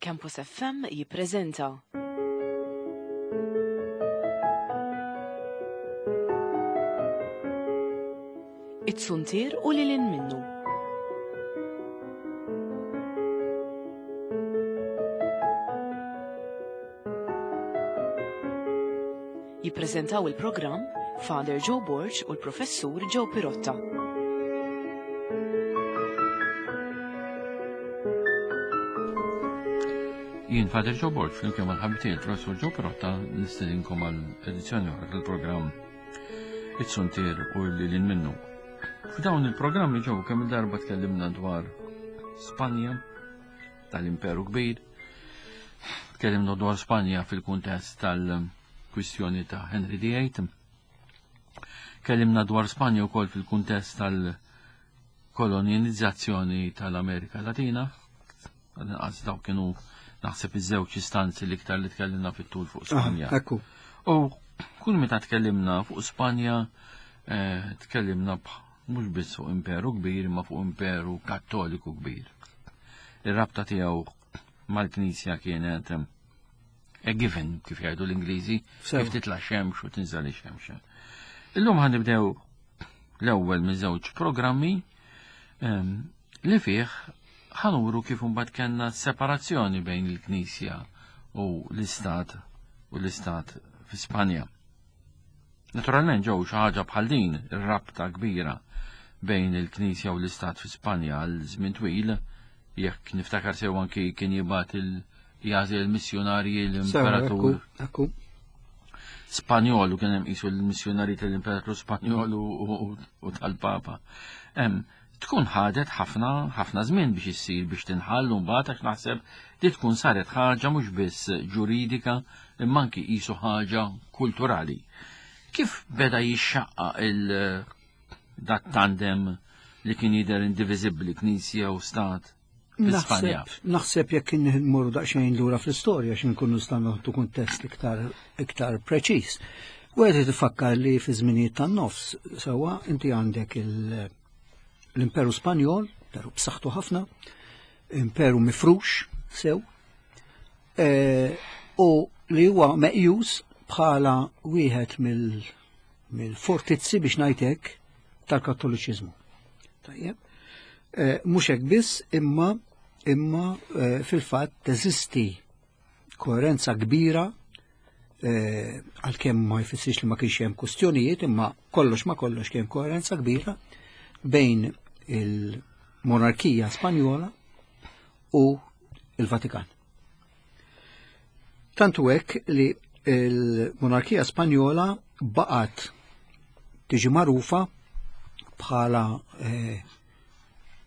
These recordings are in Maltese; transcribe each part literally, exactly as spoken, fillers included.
Campus F M jippreżenta It-Suntier u lil hinn minnu. Jippreżentaw il-programm Father Joe Borg u l-Professur Joe Pirotta. Jien Father Joe Borg, flimkien mal-ħabib tiegħi il-Professur Joe Pirotta, nistedinkom għal edizzjoni oħra tal-programm It-Suntier u lil hinn minnu. F'dawn il-programmi ġew kemm il-darba tkellimna dwar Spanja tal-Imperu Kbir, tkellimna dwar Spanja fil-kuntest tal-kwistjoni ta' Henry the Eighth, kellimna dwar Spanja wkoll fil-kuntest tal-kolonizzazzjoni tal-Amerika Latina, għal dawk kienu naħseb iż-żewġ istanzi l-iktar li tkellimna fit-tul fuq Spanja. Ekku. U kull meta tkellimna fuq Spanja, eh, tkellimna mhux biss fuq imperu kbir, imma fuq imperu kattoliku kbir. Ir-rabta tiegħu mal-Knisja kienet eh, a given, kif jgħidu l-Ingliżi, Sewa. kif titla' xemx u tinżel ix-xemx. Illum ħa nibdew l-ewwel minn żewġ programmi em, li fih ħa nuru kif imbagħad kellna separazzjoni bejn il-Knisja u l-Istat u l-Istat fi Spanja. Naturalment ġew xi ħaġa bħal din ir-rabta kbira bejn il-Knisja u l-Istat fi Spanja għal żmien twil, jekk niftakar sew anki kien jibgħat il jagħżel il-missjonarji l-imperatur Ekku, ekku. Spanjol u kien hemm qisu l-missjonarji tal-Imperatur Spanjol u, u, u tal-Papa. Em, tkun ħadet ħafna ħafna żmien biex issir biex tinħall u mbagħad għax naħseb li tkun saret ħaġa mhux biss ġuridika imma anki qisu ħaġa kulturali. Kif beda jixxaqqa il dat tandem li kien jidher indiviżibbli Knisja u Stat fi Spanja? Naħseb, naħseb jekk nmorru daqsxejn lura fl-istorja xi nkunu nistgħu noħdu kuntest iktar iktar preċiż. Wieħed ifakkar li fi żminijiet tan-nofs sewwa inti għandek il- l-Imperu Spanjol, imperu b'saħħtu ħafna, imperu mifrux sew, eh, u li huwa meqjus bħala wieħed mill- mill-fortizzi biex ngħidlek tal-Kattoliċiżmu. Tajjeb. Eh, Mhux hekk biss, imma imma eh, fil-fatt teżisti koerenza kbira eh, għalkemm ma jfissirx li ma kienx hemm kwistjonijiet, imma kollox ma kollox kien koerenza kbira bejn il-monarkija Spanjola u il-Vatikan. Tantu hekk li il-monarkija Spanjola baqgħet tiġi magħrufa bħala eh,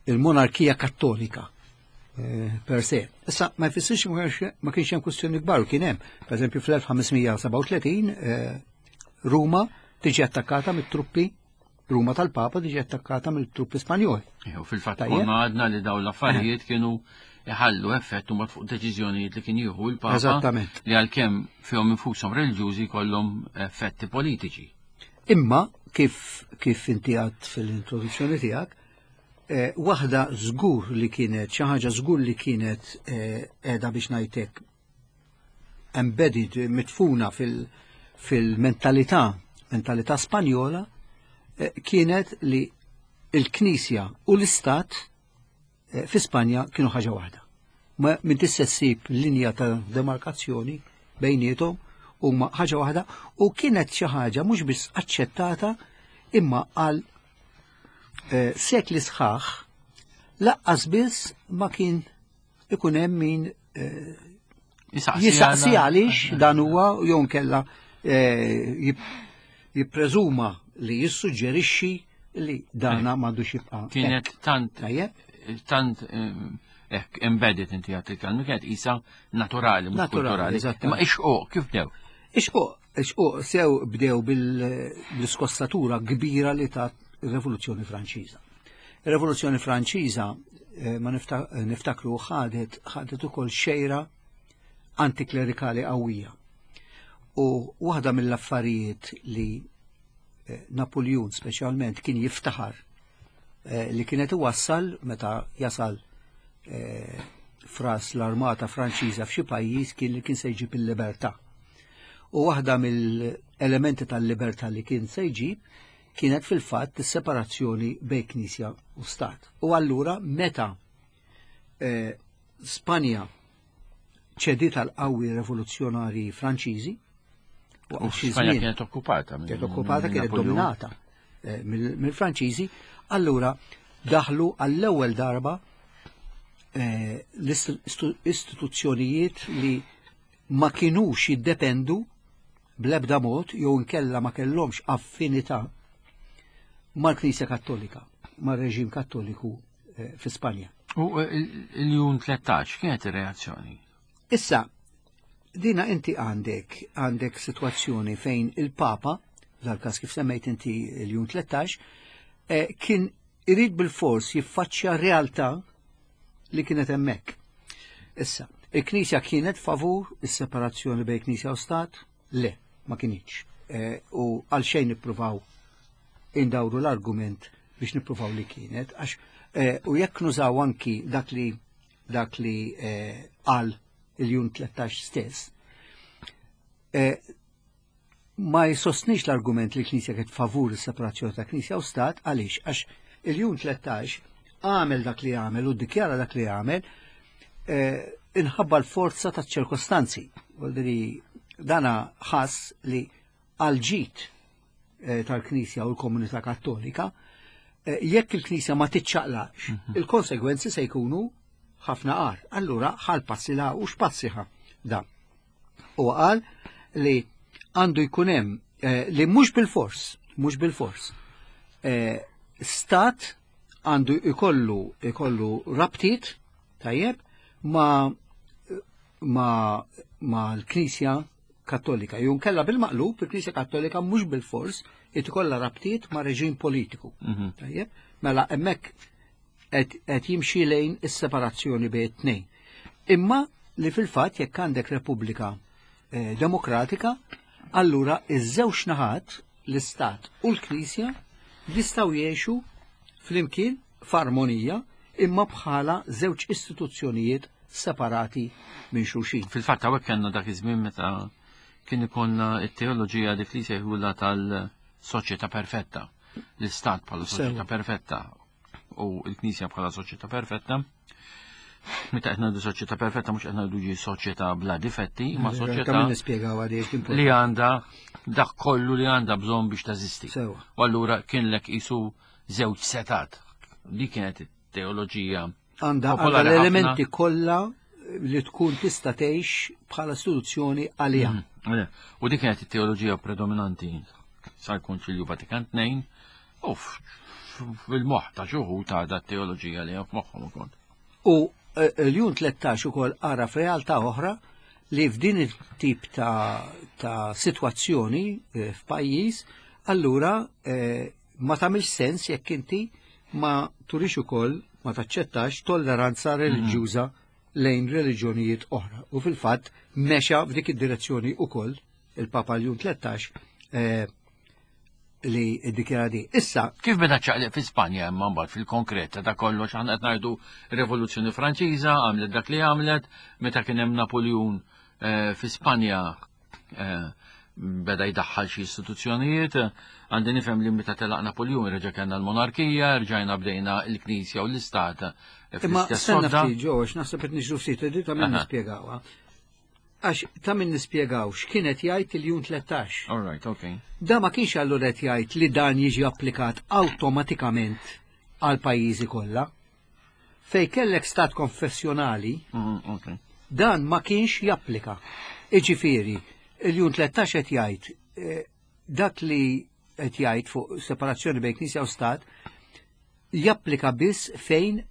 il-monarkija kattolika eh, per se. Issa ma jfissirx ma kienx- ma kienx hemm kwistjoni kbar u kien hemm. Per eżempju fl-elf ħames mija sebgħa u tletin eh, Ruma tiġi attakkata mit-truppi, Ruma tal-Papa tiġi attakkata mill-truppi Spanjoli. Ew, fil-fatt Tajjeb. konna għadna li dawn l-affarijiet kienu iħallu effett mbagħad fuq deċiżjonijiet li kien jieħu l-Papa Eżattament. li għalkemm fihom infushom reliġjużi kollhom effetti politiċi. Imma kif kif inti għedt fil-introduzzjoni tiegħek, eh, waħda żgur li kienet, xi ħaġa żgur li kienet eh, qiegħda biex ngħidlek embedded, mitfuna fil- fil-mentalità, mentalità Spanjola, eh, kienet li il-Knisja u l-Istat eh, fi Spanja kienu ħaġa waħda. Ma minn tista' ssib linja ta' demarkazzjoni bejniethom huma ħaġa waħda u kienet xi ħaġa mhux biss aċċettata imma għal eh, sekli sħaħ laqqas biss ma kien ikun hemm min eh, jistaqsi għaliex dan huwa jew nkella eh, jip- jippreżuma li jissuġġerixxi li dana m'għandux jibqa' Kienet tant Tajjeb? tant hekk embedded inti għedt il-kelma, kienet isa naturali, mhux Naturali, kulturali. eżattament. Imma ix-xquq, kif bdew? Ix-xquq, ix-xquq sew bdew bil-iskossatura kbira li ta' rivoluzzjoni Franċiża. Ir-Rivoluzzjoni Franċiża eh, ma nifta- niftakru ħadet ħadet ukoll xejra antiklerikali qawwija. U waħda mill-affarijiet li eh, Napoleon speċjalment kien jiftaħar eh, li kienet iwassal meta jasal eh, fras l-armata Franċiża f'xi pajjiż kien li kien se jġib il-libertà. U waħda mill-elementi tal-libertà li kien se jġib kienet fil-fatt is-separazzjoni bejn Knisja u Stat. U allura meta eh, Spanja ċediet għal qawwi rivoluzzjonari Franċiżi, U waqt xi Spanja żmien kienet okkupata. minn- kienet okkupata, minn kienet Napoleon. dominata eh, mill- mill-Franċiżi, allura daħlu għall-ewwel darba eh, l-istituzzjonijiet li ma kinux jiddependu bl-ebda mod jew inkella ma kellhomx affinità mal-Knisja Kattolika, mar-reġim Kattoliku eh, fi Spanja. U eh, il- il-Ljun tlettax, kienet ir-reazzjoni? Issa, dina inti għandek għandek situazzjoni fejn il-Papa, dal-kas kif semmejt inti il-Ljun tlettax, eh, kien irid bil-fors jiffaċċja realtà li kienet hemmhekk. Issa, il-Knisja kienet favur is-separazzjoni bejn Knisja u Stat? Le, ma kinitx. Eh, u għal xejn nippruvaw indawru l-argument biex nippruvaw li kienet, għax eh, u jekk nużaw anki dak li dak li eh, qal il-Ljun tlettax stess, eh, ma jsostnix l-argument li l-Knisja kienet favur is-separazzjoni ta' Knisja u Stat, għaliex? Għax il-Ljun tlettax għamel dak li għamel u ddikjara dak li għamel eh, inħabba l-forza ta' ċirkostanzi. Vuol dana ħass li għal-ġid eh, tal-Knisja u l-komunità Kattolika, eh, jekk il-Knisja ma tiċċaqlax, il-konsegwenzi se jkunu ħafna agħar. Allura ħa l-passi la u x'passi ħa da. U qal li għandu jkun hemm eh, li mhux bil-fors, mhux bil-fors. Eh, stat għandu ikollu ikollu rabtiet tajjeb ma ma ma l-Knisja Kattolika. Jew inkella bil-maqlub, il-Knisja Kattolika mhux bil-fors ikollha rabtiet ma' reġim politiku. Tajjeb, mela hemmhekk qed qed jimxi lejn is-separazzjoni bejn it-tnejn. Imma li fil-fatt jekk għandek Repubblika eh, Demokratika, allura iż-żewġ naħat, l-Istat u l-Knisja, jistgħu jgħixu flimkien f'armonija imma bħala żewġ istituzzjonijiet separati minn xulxin. Fil-fatt hawnhekk kellna dak iż-żmien meta kien ikollna it-teoloġija dik li sejħula tal-soċjetà perfetta. L-Istat bħala soċjetà Sewa. perfetta u l-Knisja bħala soċjetà perfetta. Meta qed ngħidu soċjetà perfetta mhux qed ngħidu ġi soċjetà bla difetti, ma Ta' soċjetà min nispjegaw għaliex li għandha dak kollu li għandha bżonn biex teżisti. Sewa. U allura kien lek isu żewġ setat. Li kienet it-teoloġija Għandha għandha popolari l-elementi ħafna. kollha li tkun tista' tgħix bħala istituzzjoni għaliha. Mm. U dik kienet it-teoloġija predominanti sal-Konċilju Vatikan tnejn u f- fil-moħħ ta' xi wħud ta' da teoloġija li hemm f'moħħhom ukoll. U eh, l-Ljun tlettax ukoll ara f'realtà oħra li f'din it-tip ta', ta' situazzjoni eh, f'pajjiż, allura eh, ma tagħmilx sens jekk inti ma turix ukoll ma taċċettax tolleranza reliġjuża lejn reliġjonijiet oħra. U fil-fatt mexa f'dik id-direzzjoni ukoll il-Papa Ljun tlettax eh, li ddikjara di. Issa, Kif beda ċaqliq fi Spanja imma mbagħad fil-konkret ta' kollox aħna qed ngħidu Rivoluzzjoni Franċiża għamlet dak li għamlet, meta kien hemm Napoleon eh, fi Spanja eh, beda jdaħħal xi istituzzjonijiet, għandi nifhem li meta telaq Napoleon reġa' kellna l-monarkija, rġajna bdejna l-Knisja u l-Istat Imma fl-istess stenna sodda. ftit ġo, għax naħseb qed niġru ftit, di ta' min Aha. nispjegawha. Għax ta' min nispjegaw x'kienet jgħid il-Ljun tlettax. All right, okay. Da ma kienx allura qed jgħid li dan jiġi applikat awtomatikament għal pajjiżi kollha. Fej kellek stat konfessjonali, Mm, okay. dan ma kienx japplika. Iġifieri, il-Ljun tlettax qed jgħid eh, dak li qed jgħid fuq separazzjoni bejn Knisja u Stat japplika biss fejn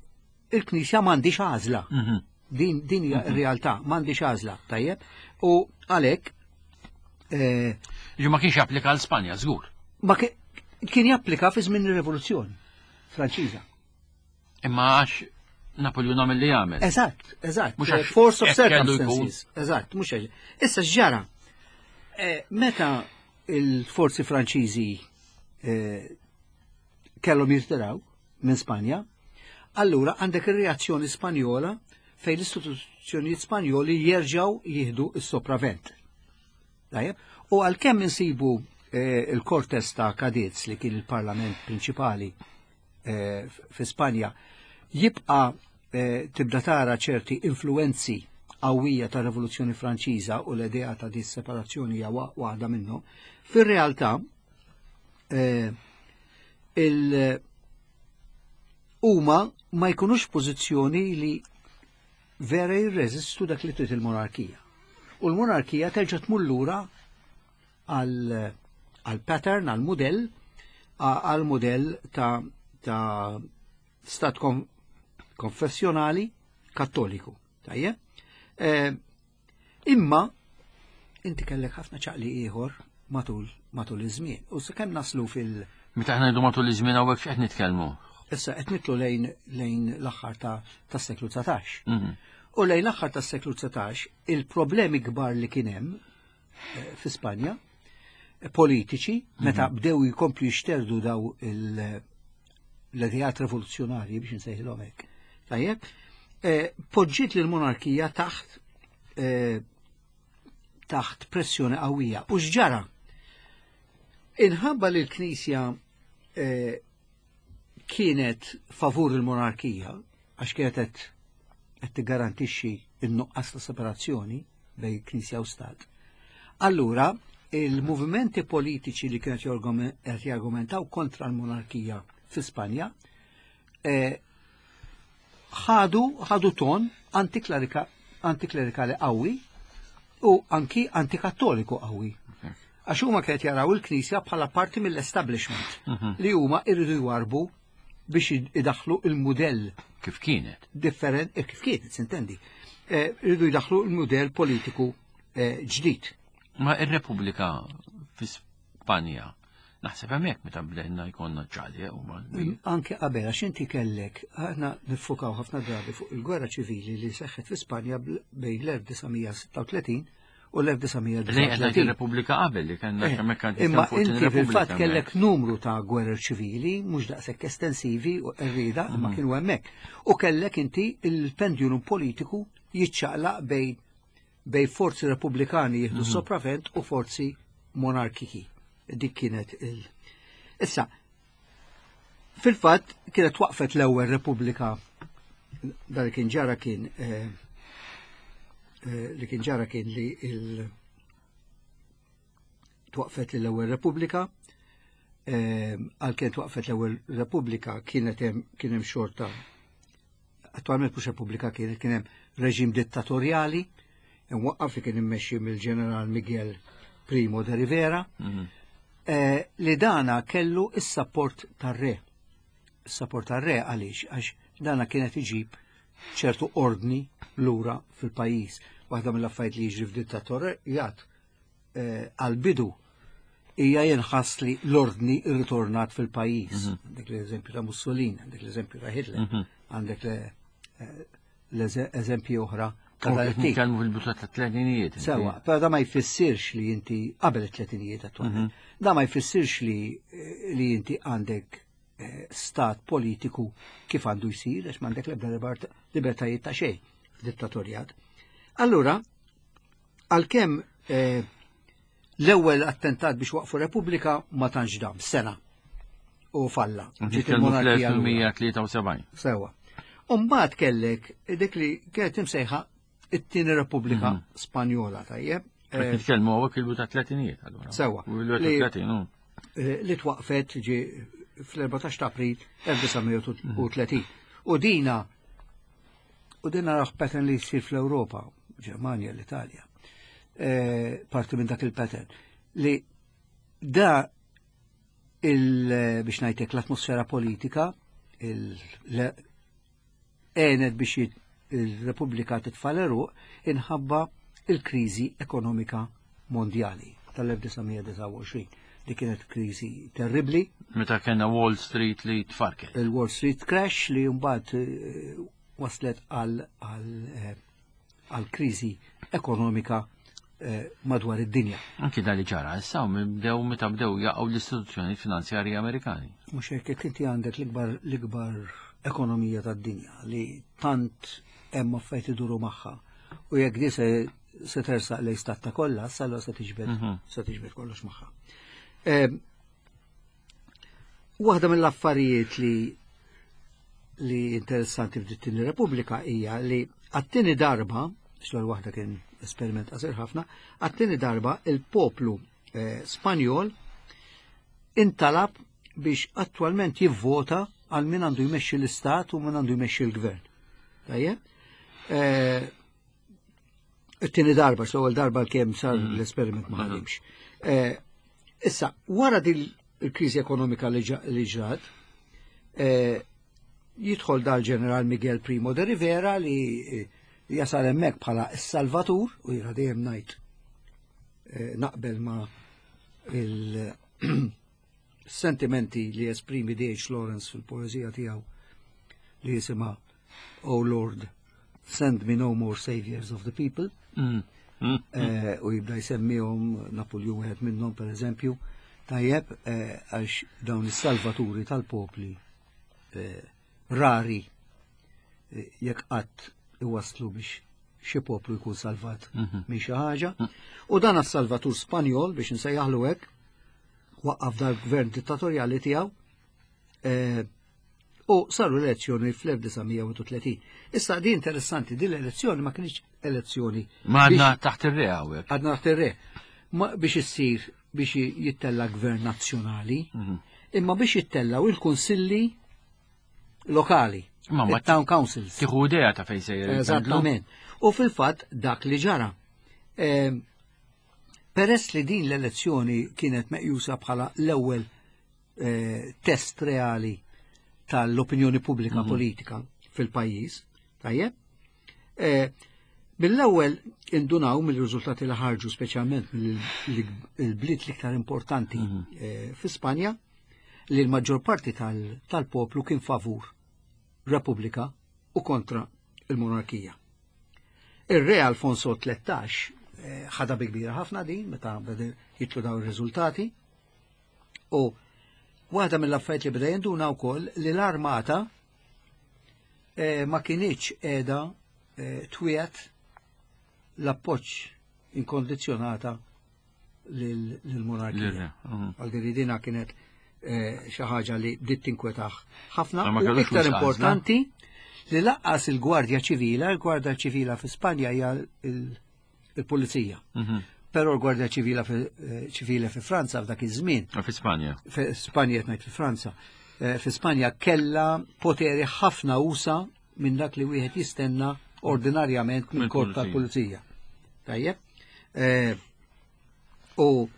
il-Knisja m'għandix għażla. Mhm. Din din hija r-realtà, m'għandix għażla, tajjeb? U għalhekk eh, Ġi ma kienx japplika għal Spanja, żgur. ma ki- kien japplika fi żmien ir-Rivoluzzjoni Franċiża. Imma għax Napoleon għamel li għamel. Eżatt, eżatt. Mhux Eh, għax Force of hekk kellu jkun. circumstances. Eżatt, mhux għax. Issa x'ġara? Eh, Meta il-forzi Franċiżi eh, kellhom jirtiraw minn Spanja, allura għandek ir-reazzjoni Spanjola fejn l-istituzzjonijiet Spanjoli jerġgħu jieħdu s-sopravvent. Tajjeb? U għalkemm insibu eh, il-Cortes ta' Cadiz li kien il-parlament prinċipali eh, fi Spanja jibqa eh, tibda tara ċerti influenzi qawwija ta' Rivoluzzjoni Franċiża u l-idea ta' dis separazzjoni hija wa- waħda minnhom. Fir-realtà eh, il huma ma jkunux pożizzjoni li vera jirreżistu dak li trid il-monarkija. U l-monarkija terġa' tmur lura għal għal pattern, għal modell, għal modell ta', ta' stat kon, konfessjonali kattoliku. Tajjeb? Eh, imma inti kellek ħafna ċaqli ieħor matul matul iż-żmien. U sakemm naslu fil- Meta aħna ngħidu matul iż-żmien hawnhekk x'qed nitkellmu? Issa qed nitlu lejn lejn l-aħħar ta' tas-seklu dsatax. Mhm. U lejn l-aħħar tas-seklu dsatax il-problemi kbar li kien hemm eh, fi Spanja eh, politiċi meta bdew jkomplu jixterdu daw il- l-ideat rivoluzzjonarji biex nsejħilhom hekk. Tajjeb, eh, poġġiet lil monarkija taħt eh, taħt pressjoni qawwija. U x'ġara? Inħabba li l-Knisja eh, kienet favur il-monarkija, għax kienet qed qed tiggarantixxi n-nuqqas ta' separazzjoni bejn Knisja u Stat. Allura, il-movimenti politiċi li kienet jorgume- qed jargumentaw kontra l-monarkija fi Spanja eh, ħadu ħadu ton antiklerika- antiklerikali qawwi u anki antikattoliku qawwi. Għax huma kienet jaraw il-Knisja bħala parti mill-establishment li huma irridu jwarbu biex idaħlu il-mudell Kif kienet? different, eh, kif kienet, sintendi, eh, irridu jdaħlu il-mudell politiku eh, ġdid. Ma ir-Repubblika fi Spanja naħseb hemmhekk meta bdejna jkollna ċali u ma Anke qabel, għax inti kellek, aħna niffukaw ħafna drabi fuq il-gwerra ċivili li seħħet fi Spanja bl- bejn l-elf disa' mija sitta u tletin u Lejn qed ngħid l-elf disa' mija disgħa u tletin. Ir-Repubblika qabel li kellna Eh, hemmhekk kien Imma fuq inti fil-fatt ir-Repubblika kellek numru ta' gwerer ċivili, mhux daqshekk estensivi u qerrieda, imma kienu hemmhekk. U kellek inti il-pendulum politiku jiċċaqlaq bejn bej forzi repubblikani jieħdu sopravvent u forzi monarkiki. Dik kienet il. Issa, fil-fatt kienet waqfet l-ewwel Repubblika, dan li kien ġara kien eh, eh, li kien ġara kien li il twaqfet l-ewwel Repubblika, eh, għalkemm twaqfet l-ewwel Repubblika kienet hemm kien hemm xorta, attualment mhux Repubblika kienet, kien hemm reġim dittatorjali imwaqqaf li kien immexxi mill-Ġeneral Miguel Primo de Rivera, Mhm. eh, li dana kellu is-support tar-re. Is-support tar-re għaliex? Għax dana kienet iġib ċertu ordni lura fil-pajjiż. Waħda mill-affarijiet li jiġri f'dittatorjat eh, għal-bidu hija jinħass li l-ordni rritornat fil-pajjiż. Għandek l-eżempju ta' Mussolini, għandek l-eżempju ta' Hitler, għandek le- eh, l-eżempji oħra ta' dan it-tip. Nitkellmu fil-bidu ta' tletinijiet. Sewa, però da ma jfissirx li inti qabel it-tletinijiet attualment. Da ma jfissirx li li inti għandek eh, stat politiku kif għandu jsir, għax m'għandek l-ebda libert- libertajiet ta' xejn f'dittatorjat. Allura, għalkemm eh, l-ewwel attentat biex waqfu Repubblika ma tantx dam, sena u falla. Ġiet Nitkellmu il-monarkija lura. fl-elf tmien mija tlieta u sebgħin. Sewa. Umbagħad kellek dik li kienet imsejħa it-tieni Repubblika Spanjola, tajjeb, Qed eh, nitkellmu hawnhekk il-bidu ta' tletinijiet allura. Sewa. U il-bidu Li- ta' tletin, u. eh, li twaqfet ġi fl-erbatax ta' April elf disa' mija tletin. U dina u dina raħ pattern li jsir fl-Ewropa, Ġermanja, l-Italja. Eh, parti minn dak il-pattern. Li da il biex ngħidlek l-atmosfera politika il le- għenet biex jit- il-Repubblika titfa' l-għeruq inħabba il-kriżi ekonomika mondjali tal-elf disa' mija disgħa u għoxrin. Di kienet kriżi terribli, Meta kellna Wall Street li tfarket. Il-Wall Street crash li mbagħad eh, waslet għal għal eh, għal kriżi ekonomika eh, madwar id-dinja. Anki dan li ġara, issa bdew meta bdew jaqgħu l-istituzzjoni finanzjarji Amerikani. Mhux hekk, jekk inti għandek l-ikbar l-ikbar ekonomija tad-dinja li tant hemm affarijiet iduru magħha. U jekk di se se tersaq lejn stat ta' kollass, allura se tiġbed Mhm. se tiġbed kollox magħha. Em, Waħda mill-affarijiet li li interessanti f'din Repubblika hija li għat-tieni darba, xogħol waħda kien esperiment qasir ħafna, għat-tieni darba il-poplu eh, Spanjol intalab biex attualment jivvota għal min għandu jmexxi l-istat u min għandu jmexxi l-gvern. Tajjeb? Eh, It-tieni darba, l-ewwel darba kemm sar l-esperiment ma ħadimx. Eh, Issa, wara din il-kriżi ekonomika li ġa- li ġrat, eh, jidħol dal-ġeneral Miguel Primo de Rivera li eh, jasal hemmhekk bħala s-Salvatur u jiena dejjem ngħid eh, naqbel ma' il-sentimenti li esprimi D H. Lawrence fil-poezija tiegħu li jisimha "Oh Lord, Send Me No More Saviors of the People" Mm. Mm. eh, u jibda jsemmihom, Napoleon wieħed minnhom per eżempju, tajjeb, eh, għax dawn is-salvaturi tal-popli eh, rari eh, jekk qatt iwaslu biex xi poplu jkun salvat Mhm. minn xi ħaġa. U dan as-salvatur Spanjol, biex nsejjaħlu hekk, waqqaf dal-gvern dittatorjali tiegħu eh, u saru elezzjoni fl-elf disa' mija u tletin. Issa di interessanti, din l-elezzjoni ma kienx elezzjoni Ma għadna biex- taħt ir-re hawnhekk. Għadna taħt ir-re. Ma biex issir biex jittella gvern nazzjonali, Mhm. imma biex jittellaw il-kunsilli lokali, Ma ma il-town councils. Tieħu idea ta' fejn sejjer il-pendlu. Eżattament. U fil-fatt dak li ġara. Ehm, Peress li din l-elezzjoni kienet meqjusa bħala l-ewwel eh, test reali tal-opinjoni pubblika Mhm. politika fil-pajjiż, tajjeb? Eh, Mill-ewwel indunaw mill-riżultati li ħarġu, speċjalment mill-bliet l-iktar importanti Mhm. eh, fi Spanja, li l-maġġor parti tal- tal-poplu kien favur Repubblika u kontra il-monarkija. Ir-re Alfonso tlettax eh, ħadha bi kbira ħafna din meta beda jitlu dawn ir-riżultati u waħda mill-affarijiet li beda jinduna wkoll li l-armata eh, ma kinitx qiegħda eh, twiegħed l-appoġġ inkondizzjonata lil- lill-monarkija. Lir-re, mhm. Għal dina kienet eh, xi ħaġa li bdiet tinkwetah ħafna. Ma U kellux iktar wisq għażla. importanti li lanqas il-Gwardja Ċivila, il-Gwardja Ċivila fi Spanja hija il- il-pulizija. Mhm. Però l-Gwardja Ċivila fi, eh, ċivile fi Franza f'dak iż-żmien, Fi Spanja. fi Spanja, qed ngħid fi Franza, eh, fi Spanja kella poteri ħafna usa minn dak li wieħed jistenna ordinarjament minn korp Mill-pulizija. tal-pulizija. Tajjeb? Eh, U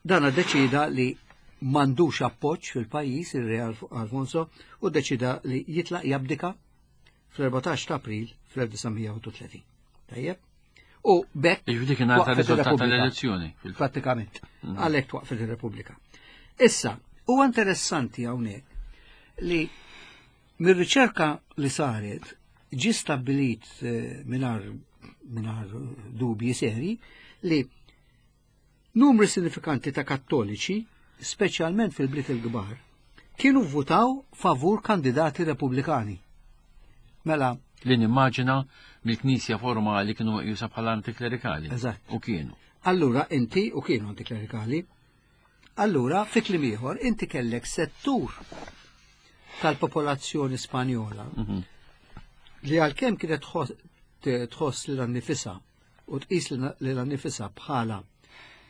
dana deċida li m'għandux appoġġ fil-pajjiż ir-re Alf- Alfonso u deċida li jitlaq, jabdika fl-erbatax ta' April fl-elf disa' mija u tletin. Tajjeb? U b'hekk Jiġifieri kien għata waqfet riżultat ir-Repubblika. tal-elezzjoni. fil- Pratikament. Għalhekk twaqfet ir-Repubblika. Issa, huwa interessanti hawnhekk li mir-riċerka li saret ġi stabbilit eh, mingħajr mingħajr dubji seri li numri sinifikanti ta' kattoliċi, speċjalment fil-bliet il-kbar, kienu votaw favur kandidati repubblikani. Mela, Li nimmaġina mill-Knisja formali kienu meqjusa bħala antiklerikali. Eżatt. U kienu. Allura inti, u kienu antiklerikali, allura fi kliem ieħor inti kellek settur tal-popolazzjoni Spanjola Mhm. li għalkemm kienet tħoss tħoss lilha nnifisha u tqis lilha nnifisha bħala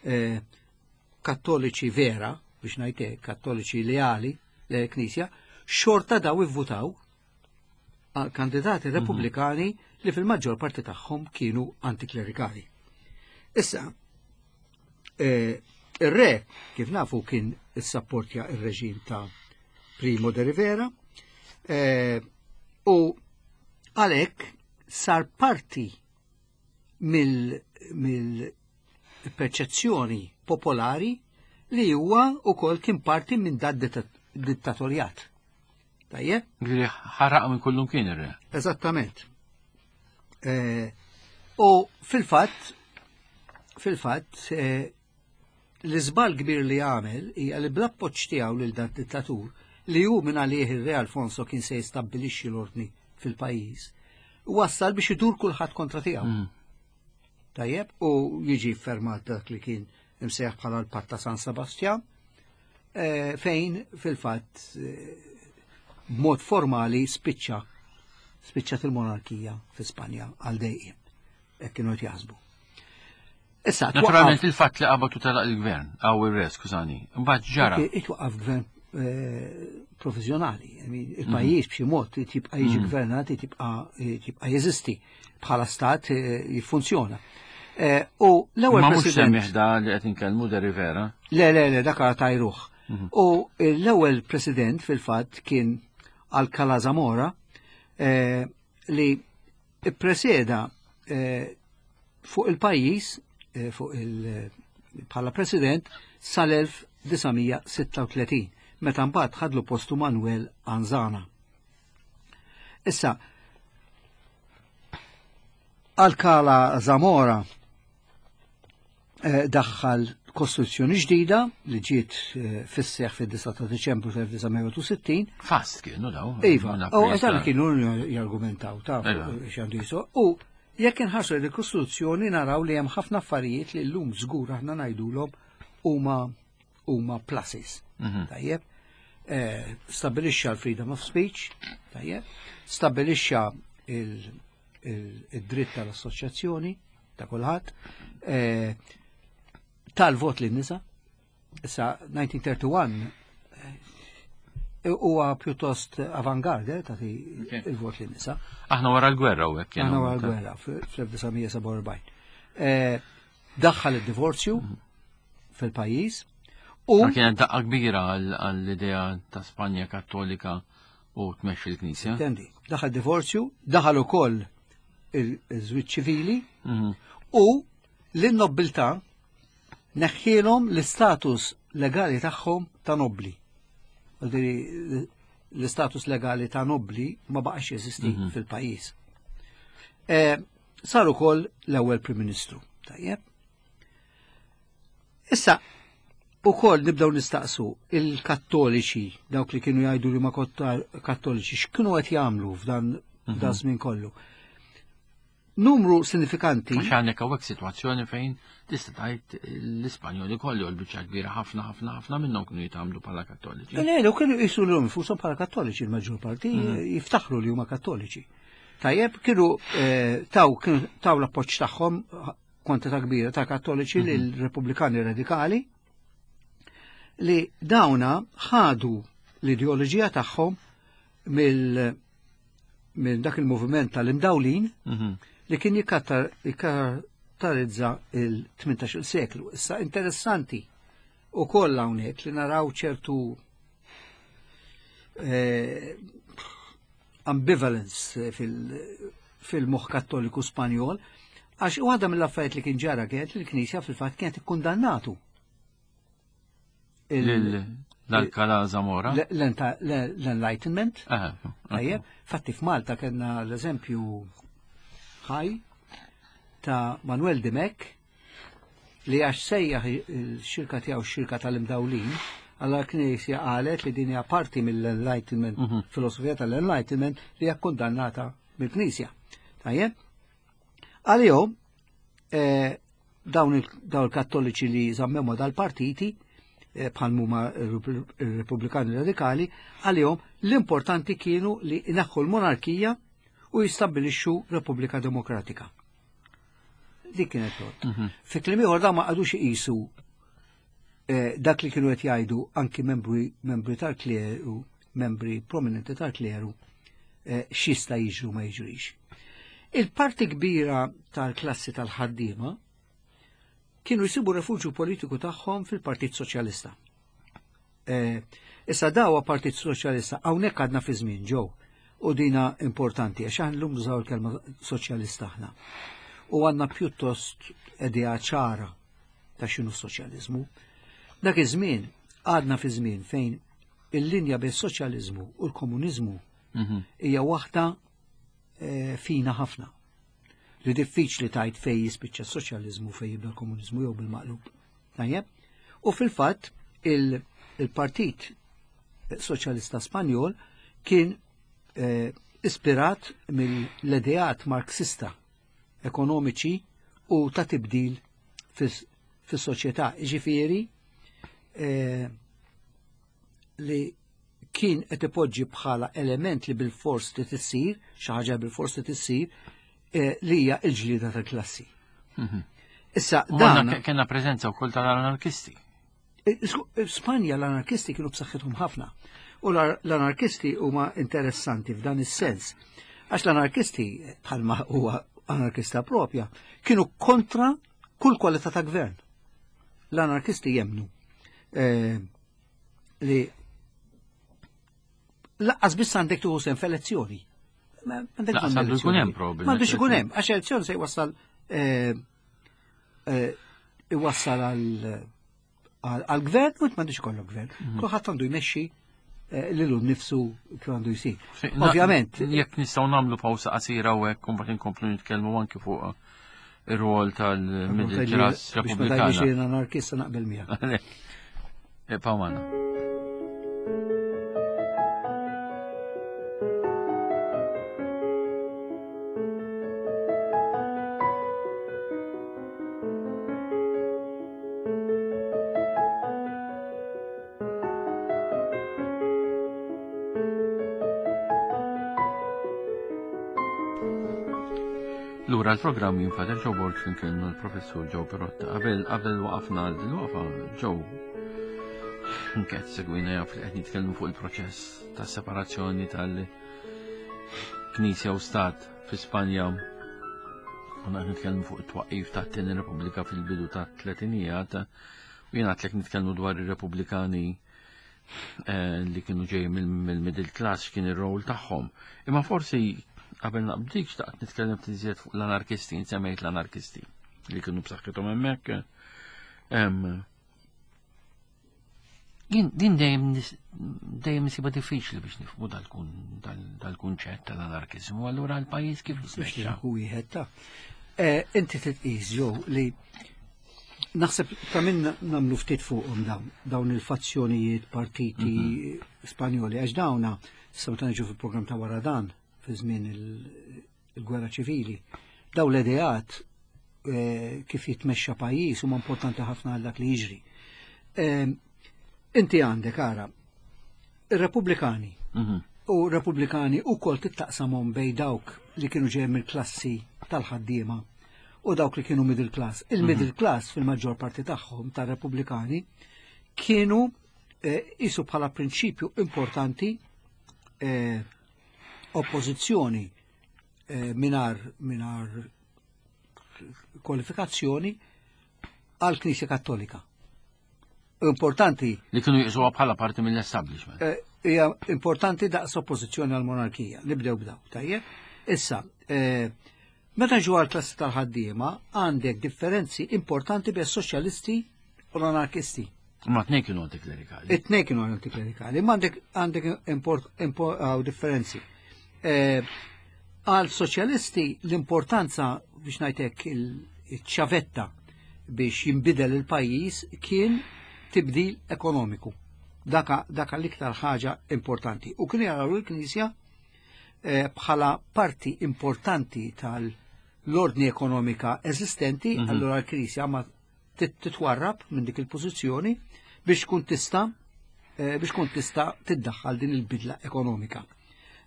eh, kattoliċi vera, biex ngħidlek, kattoliċi leali l-Knisja, xorta daw ivvutaw għal kandidati repubblikani li fil-maġġor parti tagħhom kienu antiklerikali. Issa, eh, ir-re, kif nafu, kien issapportja ir-reġim ta' Primo de Rivera eh, u għalhekk sar parti mill-perċezzjoni popolari li huwa ukoll kien parti minn dat dittatorjat. Tajjeb? Ġifieri ħaraq minn kullum kien ir-re. Eżattament. Eh, u fil-fatt, fil-fatt, eh, l-iżbal kbir li għamel hija li bl-appoġġ tiegħu lil dat dittatur li hu minn għalih ir-re Alfonso kien se jistabbilixxi l-ordni fil-pajjiż. Wassal biex idur kulħadd kontra tiegħu. Mm. Tajjeb, u jiġi fermat dak li kien imsejjaħ bħala l-Patt ta' San Sebastian, eh, fejn fil-fatt eh, b'mod formali spiċċa spiċċat il-monarkija fi Spanja għal dejjem. Hekk kienu qed jaħsbu. Issa, Naturalment il-fatt li qabad u telaq il-gvern, għaw ir-re, skużani, mbagħad ġara. Itwaqqaf gvern eh, provizjonali. I mean, il-pajjiż b'xi mod tibqa' jiġi gvernat, tibqa' tibqa' jeżisti bħala stat eh, jiffunzjona. Eh, U l-ewwel Ma mhux president. semmiħ da li qed inkellmu de Rivera. Le, le, le, dak tajruh. U l-ewwel president fil-fatt kien Alcalá Zamora eh, li preseda eh, fuq il-pajjiż eh, fuq il bħala president sal-elf disa' mija sitta u tletin meta mbagħad ħadlu postu Manuel Anzana. Issa, Alcalá Zamora eh, daħħal kostituzzjoni ġdida li ġiet eh, fis-seħ fid-disgħa ta' Deċembru tal-elf disa' mija u sittin. Fast kienu daw. Iva, Minn u April għazan ta' kienu jargumentaw ta' Iva. x'għandu jisu. U jekk inħarsu il-Kostituzzjoni naraw li hemm ħafna affarijiet li llum żgur aħna ngħidulhom huma huma pluses. Mhm. Tajjeb. Eh, Stabilixxa l-freedom of speech, tajjeb. Stabilixxa il- il- id-dritt tal-assoċjazzjoni ta' kulħadd. Eh, Tal-vot lin-nisa. Issa elf disa' mija wieħed u tletin eh, huwa pjuttost avangard eh, tagħti Ok. il-vot lin-nisa. Aħna wara l-gwerra u hekk kienu. Aħna wara l-gwerra fl-elf disa' mija sebgħa u erbgħin. Eh, Daħħal id-divorzju fil-pajjiż u Ma kienet daqqa kbira għall- għall-idea ta' Spanja Kattolika u tmexxi l-Knisja. Intendi, daħal divorzju, daħal ukoll il-żwieġ ċivili Mhm. u l-nobbiltà neħħielhom l-istatus legali tagħhom ta' nobli. Vuoldiri, l-istatus legali ta' nobli ma baqax jeżisti fil-pajjiż. Eh, Sar ukoll l-ewwel Prim Ministru. Tajjeb. Issa, ukoll nibdew nistaqsu il-Kattoliċi, dawk li kienu jgħidu li ma kotta- Kattoliċi, x'kienu qed jagħmlu f'dan dan żmien kollu? Numru sinifikanti. Għax għandek hawnhekk sitwazzjoni fejn tista' tgħid l-Ispanjoli kollu l-biċċa kbira ħafna ħafna ħafna minnhom kienu jitgħamlu bħala Kattoliċi. Le, le, kienu jisu l infushom bħala Kattoliċi, il-maġġor parti jiftaħru li huma Kattoliċi. Tajjeb, kienu eh, taw kienu taw l-appoġġ tagħhom kwantità kbira ta' Kattoliċi lil Repubblikani Radikali li dawna ħadu l-ideoloġija tagħhom mill minn dak il-moviment tal-imdawlin Mhm. li kien jikattar- jikkaratterizza il-tmintax-il seklu. Issa interessanti u koll hawnhekk li naraw ċertu eh, ambivalence fil- fil-moħ Kattoliku Spanjol, għax waħda mill-affarijiet li kien ġara kienet li l-Knisja fil-fatt kienet ikkundannatu. Il- Lil l-Alcalá Zamora. l- l- L-Enlightenment, Aha, Tajjeb, fatti f'Malta kellna l-eżempju ħaj ta' Manuel Dimech li għax sejjaħ il-xirka tiegħu xirka tal-imdawlin, għalla l-Knisja qalet li din hija parti mill-Enlightenment, filosofija tal-Enlightenment li hija kondannata mill-Knisja. Tajjeb? Għalihom eh, dawn il- dawn il-Kattoliċi li żammew ma' dal-partiti eh, bħal huma il-Repubblikani Radikali, għalihom l-importanti kienu li inaħħu l-monarkija u jistabbilixxu Repubblika Demokratika. Dik kienet tot. Fi kliem ieħor da ma qagħdux iqisu eh, dak li kienu qed jgħidu anki membri membri tal-kleru, membri prominenti tal-kleru, eh, x'jista' jiġru ma jiġrix. Il-parti kbira tal-klassi tal-ħaddiema kienu jsibu refuġju politiku tagħhom fil-Partit Soċjalista. Eh, issa dawa Partit Soċjalista hawnhekk għadna fi żmien ġew u dina importanti għax aħna llum nużaw il-kelma soċjalista aħna. U għandna pjuttost idea ċara ta' x'inhu soċjaliżmu. Dak iż-żmien għadna fi żmien fejn il-linja bejn soċjaliżmu u l-komuniżmu Mhm. hija waħda eh, fina ħafna. Li diffiċli tajt fej jispiċċa s-soċjaliżmu fej jibda l-komuniżmu jew bil-maqlub. Tajjeb? U fil-fatt il-Partit Soċjalista Spanjol kien eh, ispirat mill-ideat marxista ekonomiċi u ta' tibdil fis-soċjetà. Ġifieri eh, li kien qed ipoġġi bħala element li bil-fors li tissir, xi ħaġa bil-fors li tissir, eh, li hija l-ġlieda tal-klassi. Mhm. Issa U dan għandna kellna preżenza wkoll tal-anarkisti. Eh, Spanja l-anarkisti kienu b'saħħithom ħafna. U l-anarkisti huma interessanti f'dan is-sens. Għax l-anarkisti, bħalma huwa anarkista propja, kienu kontra kull kwalità ta' gvern. L-anarkisti jemnu eh, li laqqas biss għandek tuħu sehem f'elezzjoni. Ma għandek Laqqas bżonn għandu jkun elezzjoni. hemm probabilment. M'għandux ikun hemm, għax elezzjoni se jwassal eh, eh, iwassal għal għal-gvern u m'għandux ikollok gvern. Mhm. Kulħadd għandu jmexxi eh, lilu nnifsu kif għandu jsir. Ovvjament, Jekk nistgħu nagħmlu pawsa qasira u hekk u mbagħad inkomplu nitkellmu anki fuq ir-rol tal-middle class biex ma tgħidlix repubblikana. jien anarkista naqbel miegħek. Ibqgħu magħna. Lura l-programm jien Father Joe Borg flimkien l-professur Joe Pirotta. Qabel qabel waqafna l-waqfa Joe nket segwina jaf li qed nitkellmu fuq il-proċess ta' separazzjoni tal-Knisja u Stat fi Spanja. Konna qed nitkellmu fuq it-twaqqif tat-Tieni Repubblika fil-bidu tat-tletinijiet u jien għedtlek nitkellmu dwar ir-Repubblikani eh, li kienu ġej mill-middle class x'kien ir-rol tagħhom. Imma forsi qabel naqbdik xtaqt nitkellem ftit iżjed fuq l-anarkisti, insemmejt l-anarkisti li kienu b'saħħithom hemmhekk. Em, Jien din dejjem nis- dejjem nisibha diffiċli biex nifhmu dal-kun- dal- dal-kunċett tal-anarkiżmu, allura l-pajjiż kif Biex jitmexxa? hu wieħed ta' Eh, Inti titqis ġew li naħseb ta' minn nagħmlu ftit fuqhom dawn dawn il-fazzjonijiet partiti Spanjoli għax dawna issa meta niġu fil-programm ta' wara dan fi żmien il- il-gwerra ċivili. Dawn l-ideat eh, kif jitmexxa pajjiż huma importanti ħafna għal dak li jiġri. Eh, Inti għandek ara ir-Repubblikani Mhm. u Repubblikani u kol tittaqsamhom bej dawk li kienu ġejjin mill-klassi tal-ħaddiema u dawk li kienu middle class. Il-middle class fil-maġġor parti tagħhom tar-Repubblikani kienu eh, isu bħala prinċipju importanti eh, oppożizzjoni eh, minar minar kwalifikazzjoni għal Knisja Kattolika. Importanti Li kienu jqisuha bħala parti mill-establishment. eh, hija importanti daqs oppożizzjoni għal monarkija. Nibdew b'daw, tajjeb? Issa, eh, meta ġu għal klassi tal-ħaddiema għandek differenzi importanti bejn soċjalisti u l-anarkisti. Ma tnejn kienu antiklerikali. It-tnejn kienu antiklerikali, ma għandek għandek import, import, għaw differenzi. Eh, Għal soċjalisti l-importanza biex ngħidlek il-ċavetta biex jinbidel il-pajjiż kien tibdil ekonomiku. Daka, daka l-iktar ħaġa importanti. U kienu jaraw il-Knisja eh, bħala parti importanti tal-ordni ekonomika eżistenti, Mhm. allura l-Knisja ma tit- titwarrab minn dik il-pożizzjoni biex tkun tista' eh, biex tkun tista' tiddaħħal din il-bidla ekonomika.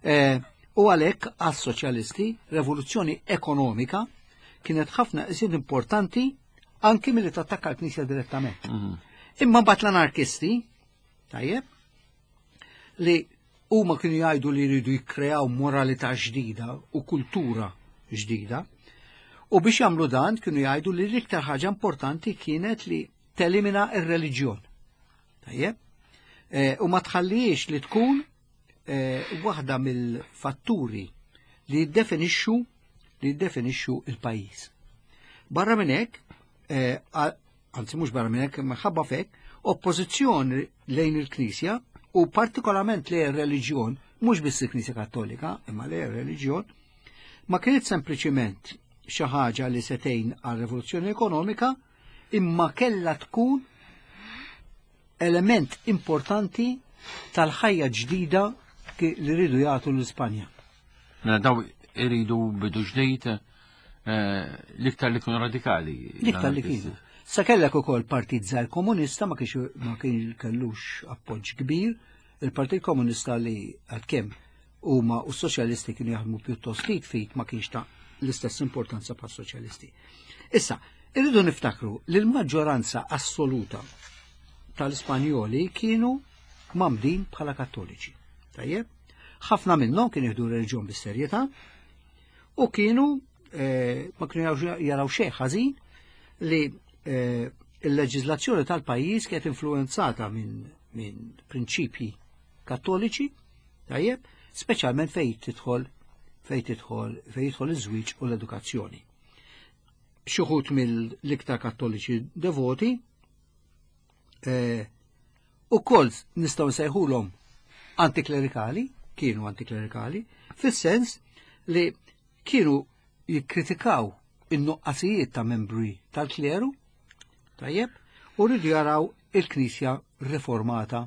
Eh, U għalhekk għas-soċjalisti revoluzzjoni ekonomika kienet ħafna iżjed importanti anki milli tattakka l-Knisja direttament. Mhm. Imma mbagħad l-anarkisti, tajjeb, li huma kienu jgħidu li jridu jikkreaw moralità ġdida u kultura ġdida, u biex jagħmlu dan kienu jgħidu li l-iktar ħaġa importanti kienet li telimina ir-reliġjon. Tajjeb? Eh, u ma tħallix li tkun eh, waħda mill-fatturi li jiddefinixxu li jiddefinixxu il-pajjiż. Barra minn hekk, eh, a- anzi mhux barra minn hekk, minħabba fek, oppożizzjoni lejn il-Knisja u partikolarment lejn ir-reliġjon, mhux biss il-Knisja Kattolika, imma lejn ir-reliġjon, ma kienet sempliċiment xi ħaġa li setejn għal rivoluzzjoni ekonomika, imma kellha tkun element importanti tal-ħajja ġdida ki- li rridu jagħtu l-Ispanja. Mela daw iridu bidu ġdid eh, l-iktar li kienu radikali. L-iktar li kienu. Sa kellek ukoll partit żgħir komunista ma kienx ma kien kellux appoġġ kbir, il-Partit Komunista li għalkemm huma u s-soċjalisti kienu jaħdmu pjuttost id f'id ma kienx ta' l-istess importanza pa' soċjalisti. Issa, irridu niftakru li l-maġġoranza assoluta tal-Ispanjoli kienu mgħammdin bħala kattoliċi. Tajjeb? Ħafna minnhom kienu jieħdu reliġjon bis-serjetà u kienu eh, ma kienu jaraw- jaraw xejn ħażin li eh, il-leġiżlazzjoni tal-pajjiż kienet influenzata minn min prinċipji kattoliċi, tajjeb, speċjalment fejn tidħol fejn tidħol fejn jidħol iż-żwieġ u l-edukazzjoni. Xi wħud mill-iktar kattoliċi devoti eh, ukoll nistgħu nsejħulhom antiklerikali, kienu antiklerikali, fis-sens li kienu jikkritikaw in-nuqqasijiet ta' membri tal-kleru, tajjeb, u rridu jaraw il-Knisja riformata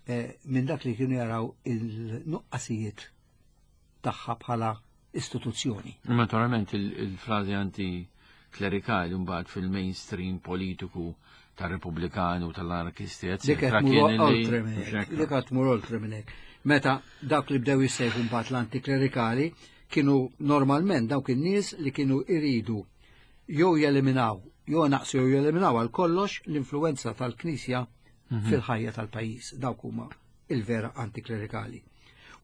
eh, minn dak li kienu jaraw il-nuqqasijiet tagħha bħala istituzzjoni. Naturalment il- il-frażi anti-klerikali mbagħad fil-mainstream politiku tar-Repubblikani u tal-anarkisti, Dik eccetera, qed mur kien li- oltre minn hekk, dik qed tmur oltre minn hekk. Meta dawk li bdew jissejħu mbagħad l-antiklerikali kienu normalment dawk in-nies li kienu iridu jew jeliminaw, jew naqsu jew jeliminaw għal kollox l-influenza tal-Knisja fil-ħajja tal-pajjiż. Dawk huma il-vera antiklerikali.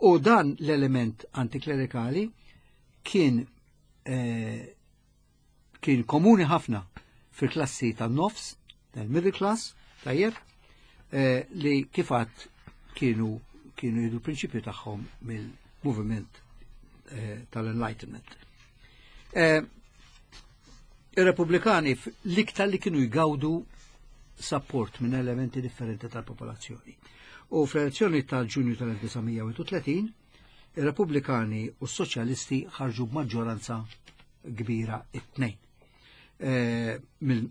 U dan l-element antiklerikali kien eh, kien komuni ħafna fil-klassi tan-nofs, tal-middle class, tajjeb, eh, li kif għedt kienu kienu jieħdu prinċipju tagħhom mill-movement eh, tal-Enlightenment. Eh, Ir-Repubblikani f- l-iktar li kienu jgawdu support minn elementi differenti tal-popolazzjoni. U fl-elezzjoni tal-Ġunju tal-elf disa' mija u tletin, ir-Repubblikani u s-Soċjalisti ħarġu b'maġġoranza kbira it-tnejn. Eh, mill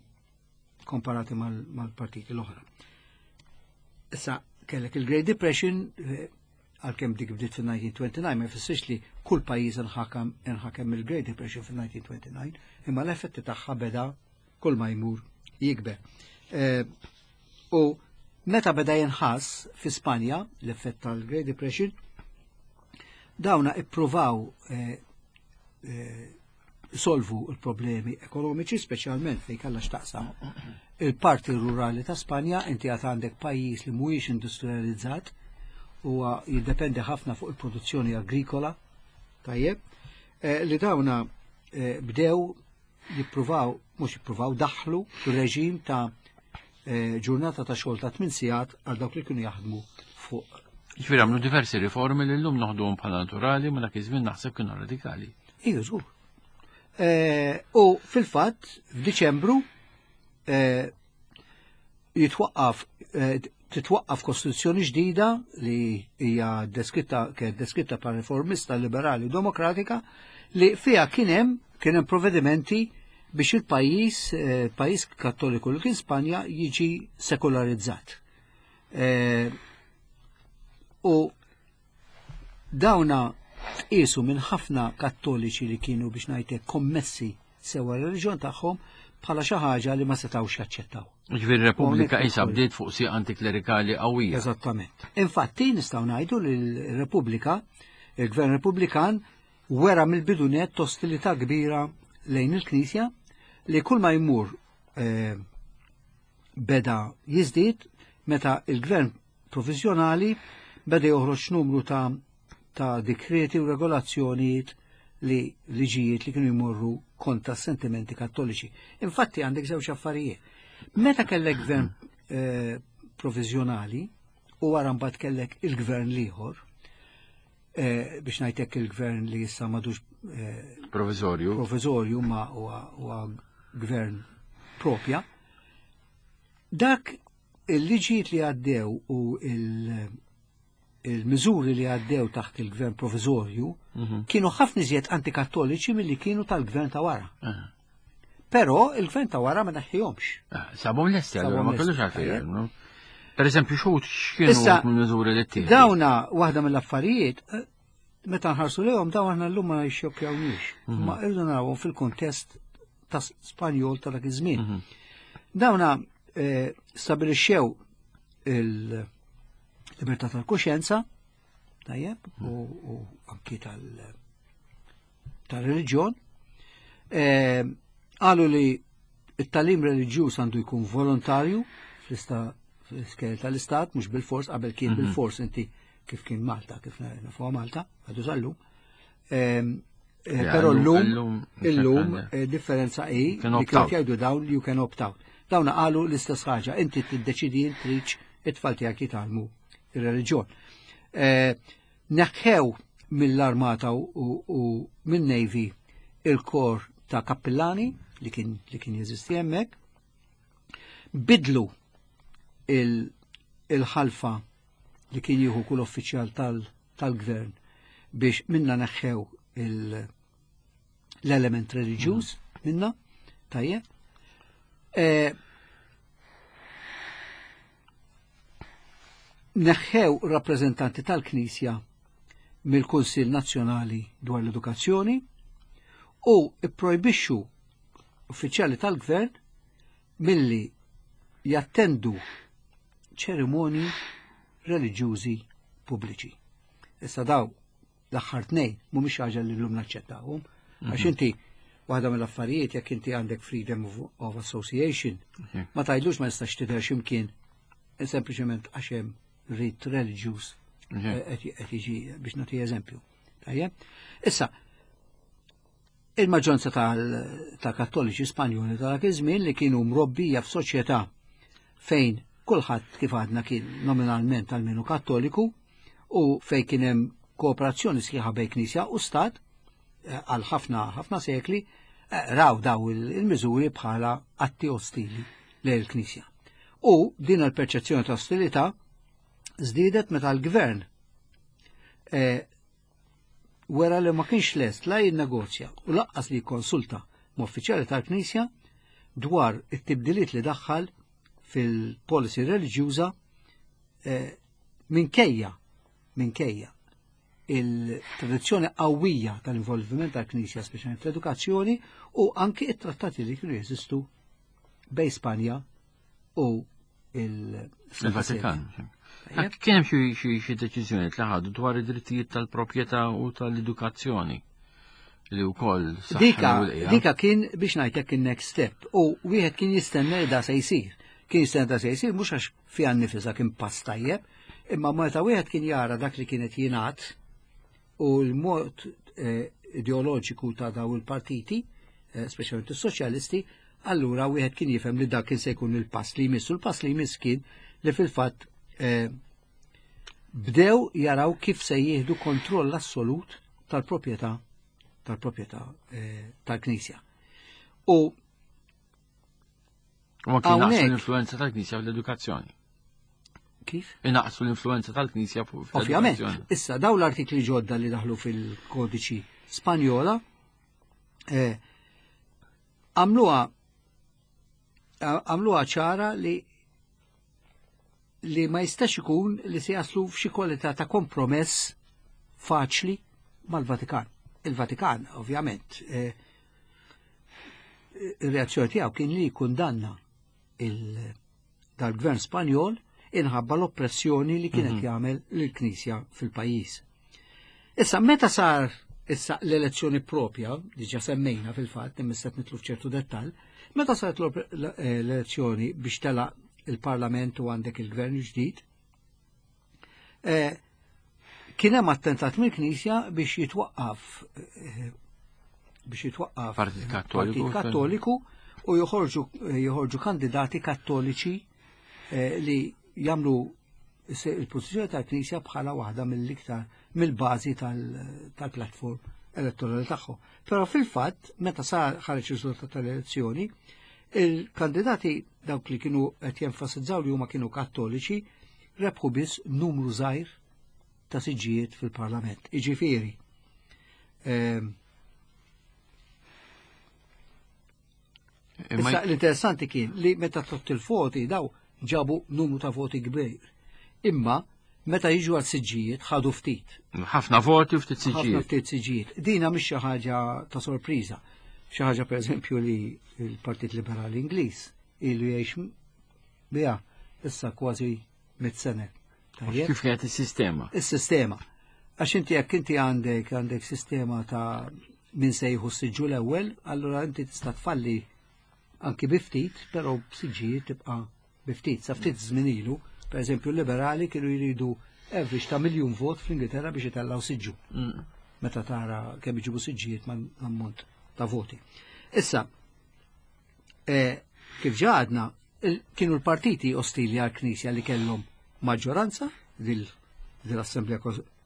komparati mal- mal-partiti l-oħra. Issa, kellek il-Great Depression, eh, għalkemm dik bdiet fil-elf disa' mija u disgħa u għoxrin, ma jfissirx li kull pajjiż inħakam inħakem il-Great Depression fil-elf disa' mija u disgħa u għoxrin, imma l-effetti tagħha beda kull ma jmur jikber. Eh, U meta beda jinħass fi Spanja l-effett tal-Great Depression, dawna ippruvaw eh, eh, solvu l-problemi ekonomiċi, speċjalment fejn kellha x'taqsam il-parti rurali ta' Spanja, inti għad għandek pajjiż li mhuwiex industrializzat, huwa jiddependi ħafna fuq il-produzzjoni agrikola, tajjeb, eh, li dawna eh, bdew jippruvaw, mhux jippruvaw, daħlu reġim ta' eh, ġurnata ta' xogħol ta' tmien sigħat għal dawk li kienu jaħdmu fuq. Ġifieri għamlu diversi riformi li llum noħduhom bħala naturali, ma dak iż-żmien naħseb kienu radikali. Iju, żgur. Eh, U fil-fatt, f'Diċembru, eh, jitwaqqaf eh, titwaqqaf kostituzzjoni ġdida li hija deskritta kienet deskritta pa' riformista liberali u demokratika li fiha kien hemm kien hemm provvedimenti biex il-pajjiż eh, pajjiż kattoliku li kien Spanja jiġi sekolarizzat. Eh, U dawna tqisu minn ħafna kattoliċi li kienu biex ngħidlek kommessi sewa r-reliġjon tagħhom bħala xi ħaġa li ma setgħux jaċċettaw. Ġifieri Repubblika Hawnhekk isa ukoll. bdiet fuq sieq antiklerikali qawwija. Eżattament. Infatti nistgħu ngħidu li l-Repubblika, il-Gvern Repubblikan wera mill-bidunet ostilità kbira lejn il-Knisja li kull ma jmur eh, beda jiżdied meta il-Gvern provizjonali beda joħroġ numru ta' ta' dikreti u regolazzjonijiet li liġijiet li kienu jmorru kontra sentimenti kattoliċi. Infatti għandek żewġ affarijiet. Meta kellek gvern eh, provizjonali u wara mbagħad kellek il-gvern l-ieħor, eh, biex ngħidlek il-gvern li issa m'għadux eh, Provizorju. provizorju ma huwa huwa gvern propja, dak il-liġijiet li għaddew u il- il-miżuri li għaddew taħt il-gvern provizorju Mhm. kienu ħafna iżjed antikattoliċi milli kienu tal-gvern ta' wara. Ah. Però il-gvern ta' wara ma neħħihomx. Ah, Sabhom lesti, allura Sabhom ma kellux lesti, għalfejn. tajjeb. no? Per eżempju, xut x'kienu Issa, mill-miżuri li ttieħdu? Dawna waħda mill-affarijiet eh, meta nħarsu lejhom dawn aħna llum ma jxokkjawniex. Ma irridu narawhom fil-kuntest ta' Spanjol ta' dak iż-żmien. Dawna eh, stabilixxew il-libertà tal-kuxjenza, tajjeb, u, u anki tal- tal-reliġjon. Eh, Qalu li it-tagħlim reliġjuż għandu jkun volontarju fl-ista fl-iskejjel tal-istat, mhux bil-fors, qabel kien bil-fors inti kif kien Malta, kif nafuha Malta, għadu sal-lum. Ehm, eh, Ja, Però llum- llum, illum illum eh, differenza hi You can li opt kienu out. jgħidu dawn you can opt out. Dawn qalu l-istess ħaġa, inti tiddeċidi int tridx it-tfal tiegħek jitgħallmu ir-reliġjon. Eh, Neħħew mill-armata u, u minn-Navy il-kor ta' kappillani li kien li kien jeżisti hemmhekk. Bidlu il- il-ħalfa li kien jieħu kull uffiċjal tal- tal-gvern biex minna neħħew il- l-element reliġjuż minna, tajjeb. Eh, Neħħew rappreżentanti tal-Knisja mill-Kunsill Nazzjonali dwar l-Edukazzjoni u ipprojbixxu uffiċjali tal-gvern milli jattendu ċerimonji reliġjużi pubbliċi. Issa daw l-aħħar tnejn mhumiex ħaġa li llum naċċettawhom, għax inti waħda mill-affarijiet jekk inti għandek freedom of, of association, ma tgħidlux ma jistax tidher x'imkien sempliċement għax hemm rit reliġjuż eh, qed qed jiġi biex nagħti eżempju. Tajjeb? Issa, il-maġġoranza tal- kattoliċi Spanjoli ta' dak iż-żmien li kienu mrobbija f'soċjetà fejn kulħadd kif għadna kien nominalment almenu kattoliku u fejn kien hemm kooperazzjoni sħiħa bejn Knisja u Stat eh, għal ħafna ħafna sekli eh, raw daw il- il-miżuri bħala atti ostili lejn il-Knisja. U din il-perċezzjoni ta' ostilità żdiedet meta l-gvern eh, wera li ma kienx lest la jinnegozja u lanqas li jikkonsulta ma' uffiċjali tal-Knisja dwar it-tibdiliet li daħħal fil-policy reliġjuża eh, minkejja minkejja il-tradizzjoni qawwija tal-involviment tal-Knisja speċjalment fl-edukazzjoni u anki it-trattati li kienu jeżistu bejn Spanja u il-Santa Il-Vatikan. Kien hemm xi xi xi deċiżjoni li ħadu dwar id-drittijiet tal-proprjetà u tal-edukazzjoni li wkoll Dika, saħħu l-qiegħa. dika kien biex ngħidlek il-next step u wieħed kien jistenna li da se jsir. Kien jistenna da se jsir mhux għax fiha nnifisha kien pass tajjeb, imma meta wieħed kien jara dak li kienet jingħad u l-mod eh, ideoloġiku ta' daw il-partiti, eh, speċjalment is-soċjalisti, allura wieħed kien jifhem li dak kien se jkun il-pass li jmiss. U l-pass li jmiss kien li fil-fatt eh, bdew jaraw kif se jieħdu kontroll assolut tal-proprjetà tal-proprjetà eh, tal-Knisja. U U ma kien naqsu hawnhekk- l-influenza tal-Knisja fl-edukazzjoni. kif? Inaqsu l-influenza tal-Knisja fuq Ovvjament, fl-edukazzjoni. issa daw l-artikli ġodda li daħlu fil-kodiċi Spanjola eh, għamluha għamluha ċara li li ma jistax ikun li se jaslu f'xi kwalità ta' kompromess faċli mal-Vatikan. Il-Vatikan, ovvjament, eh, ir-reazzjoni tiegħu kien li jikkundanna il- dal-gvern Spanjol inħabba l-oppressjoni li kienet jagħmel lill-Knisja fil-pajjiż. Issa meta sar issa l-elezzjoni propja, diġà semmejna fil-fatt, imma issa nidħlu f'ċertu dettall, meta saret l- eh, l-elezzjoni biex tela il-Parlament u għandek il-gvern ġdid, eh, kien hemm attentat mill-Knisja biex jitwaqqaf eh, biex jitwaqqaf Partit Kattoliku. Partit Kattoliku u joħorġu joħorġu kandidati kattoliċi eh, li jagħmlu se- il-pożizzjoni tal-Knisja bħala waħda mill-iktar mill-bażi tal- tal-platform elettorali tagħhom. Però fil-fatt, meta sar ħareġ riżultat tal-elezzjoni, il-kandidati dawk li kienu qed jenfasizzaw li huma kienu kattoliċi rebħu biss numru żgħir ta' siġġijiet fil-Parlament. Iġifieri, ehm, Imma Issa l-interessanti kien li meta tott il-voti daw ġabu numru ta' voti kbir. Imma Meta jiġu għal siġġijiet ħadu ftit. Ħafna voti u ftit Ħafna siġġijiet. ftit siġġijiet. Dina mhix xi ħaġa ta' sorpriża. Xi ħaġa pereżempju li l-Partit Liberali Ingliż ilu jgħix biha issa kważi mit sena. Tajjeb? Kif kienet is-sistema? Is-sistema. Għax inti jekk inti għandek għandek sistema ta' min se jieħu s-siġġu l-ewwel, allura inti tista' tfalli anki bi ftit, però b'siġġijiet tibqa' bi ftit. Sa ftit żmien ilu, pereżempju l-liberali kienu jridu average ta' miljun vot fl-Ingilterra biex itellgħu siġġu. Mm. Meta tara kemm iġibu siġġijiet ma' ammont ta' voti. Issa, eh, kif ġa għadna, il- kienu l-partiti ostili għal-Knisja li kellhom maġġoranza dil-Assemblea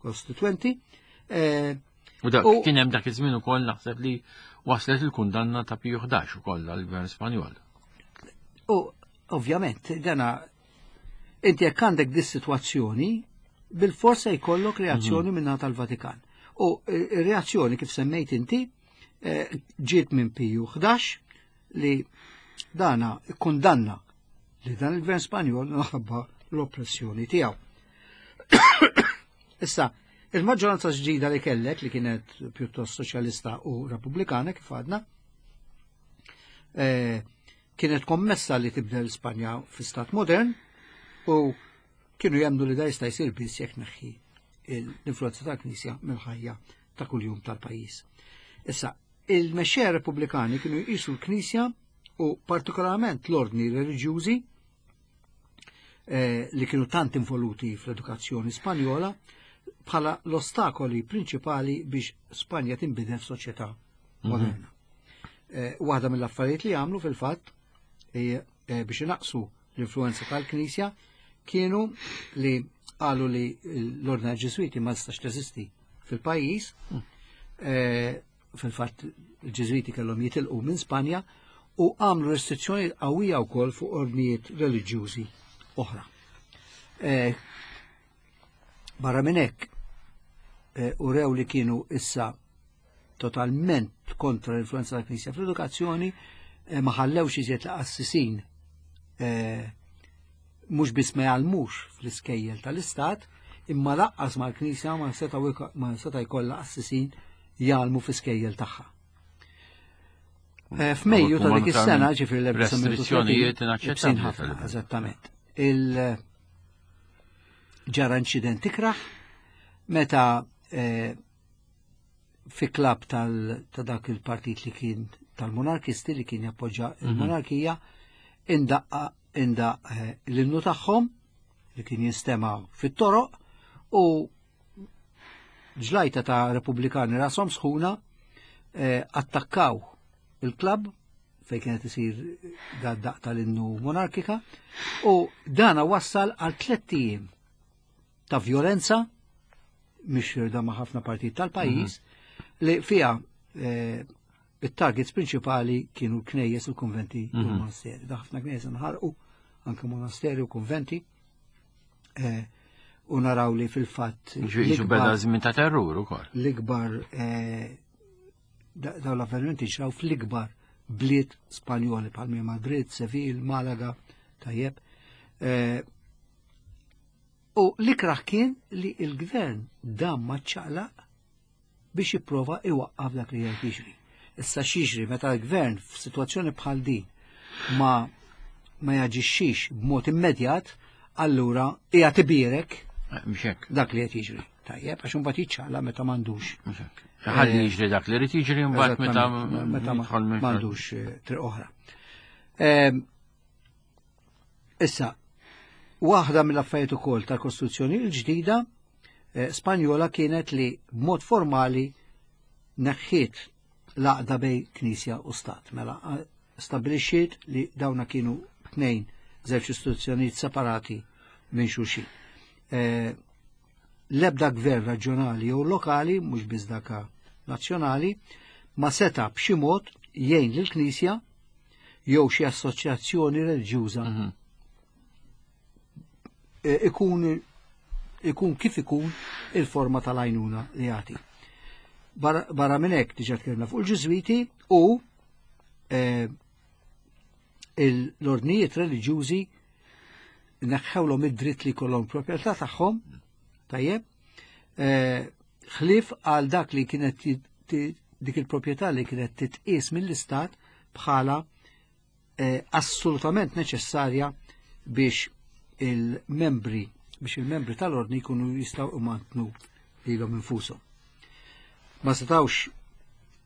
Kostituenti. eh, U dak U- kien hemm dak iż-żmien ukoll naħseb li waslet il-kundanna ta' Piju ħdax ukoll għall-Gvern Spanjol. U ovvjament, dana, inti jekk għandek dis-sitwazzjoni, bil-forsa jkollok reazzjoni mm -hmm. tal-Vatikan. U eh, reazzjoni kif semmejt inti eh, ġiet minn Piju ħdax li dana kundanna li dan il-gvern Spanjol minħabba l-oppressjoni tiegħu. Issa, il-maġġoranza ġdida li kellek, li kienet pjuttost soċjalista u repubblikana kif għadna, eh, kienet kommessa li tibdel Spanja fi stat modern u kienu jemmnu li da jista' jsir biss jekk neħħi l-influenza tal-Knisja mill-ħajja ta' kuljum tal-pajjiż. Issa, il-mexxejja repubblikani kienu jqisu l-Knisja u partikolarment l-ordni reliġjużi eh, li kienu tant involuti fl-edukazzjoni Spanjola bħala l-ostakoli prinċipali biex Spanja tinbidel f'soċjetà moderna. Eh, Waħda mill-affarijiet li għamlu fil-fatt eh, eh, biex inaqsu l-influenza tal-Knisja kienu li qalu li l-ordni Ġeżwiti ma tistax teżisti fil-pajjiż. Eh, Fil-fatt il-Ġeżwiti kellhom jitilqu minn Spanja u għamlu restrizzjoni qawwija wkoll fuq ordnijiet reliġjużi oħra. Eh, Barra minn hekk, eh, urew li kienu issa totalment kontra l-influenza tal-Knisja fl-edukazzjoni, eh, ma ħallewx iżjed l-qassisin eh, mhux biss ma jgħallmux fl-iskejjel tal-istat, imma lanqas mal-Knisja ma seta' ma seta' jkollha qassisin jgħallmu fl-iskejjel tagħha. Eh, F'Mejju ta' dik is-sena, ġifieri Restrizzjonijiet l-elf disa' mija u tletin, inaċċettabbli ħafna, tal-livell. eżattament. Il ġara inċident ikraħ meta eh, fi klab tal ta' dak il-partit li kien tal-monarkisti li kien jappoġġa il-monarkija indaqqa indaq eh, l-innu tagħhom li kien jinstema' fit-toroq u ġlajta ta' repubblikani rashom sħuna eh, attakkaw il-klab fej kienet isir da daq tal-innu monarkika u dana wassal għal tlett ijiem ta' violenza mixirda ma' ħafna partit tal-pajjiż li fija eh, it-targets prinċipali kienu l-knejjes, il-konventi u l-monasteri. Da ħafna knejjes nħarqu, anke monasteri u konventi. Eh, u naraw li fil-fatt Ġifieri beda żmien ta' terrur ukoll. L-ikbar eh, da- dawn l-avvenimenti ġraw fl-ikbar bliet Spanjoli bħal Madrid, Seville, Malaga, tajjeb. Eh, U l-ikraħ kien li il-gvern dam ma ċaqlaq biex jipprova iwaqqaf dak li qed jiġri. Issa x'jiġri meta l-gvern f'sitwazzjoni bħal din ma ma jaġixxix b'mod immedjat, allura qiegħed ibierek Eh, Mhux hekk. dak li qed jiġri. Tajjeb, għax imbagħad jiċċaqla meta m'għandux. Mhux hekk. Ħalli jiġri dak li rid jiġri mbagħad meta Eżattament, meta ma- jidħol minn- m'għandux eh, triq oħra. Ehm, Issa, waħda mill-affarijiet ukoll tal-Kostituzzjoni l-ġdida eh, Spanjola kienet li b'mod formali neħħiet l-għaqda bejn Knisja u Stat. Mela eh, stabbilixxiet li dawna kienu tnejn żewġ istituzzjonijiet separati minn xulxin. Eh, L-ebda gvern raġjonali jew lokali, mhux biss daka nazzjonali, ma seta b'xi mod jgħin lill-Knisja jew xi assoċjazzjoni reliġjuża Mhm. eh, ikun ikun kif ikun il-forma tal-għajnuna li jagħti. Barra barra minn hekk diġà tkellimna fuq il-Ġiżwiti u eh, il- l-ordnijiet reliġjużi neħħewlhom id-dritt li jkollhom proprjetà tagħhom Tajjeb, ħlief għal dak li kienet dik il-proprjetà li kienet titqies mill-istat bħala assolutament neċessarja biex il-membri biex il-membri tal-ordni jkunu jistgħu imantnu lilhom infushom. Ma setgħux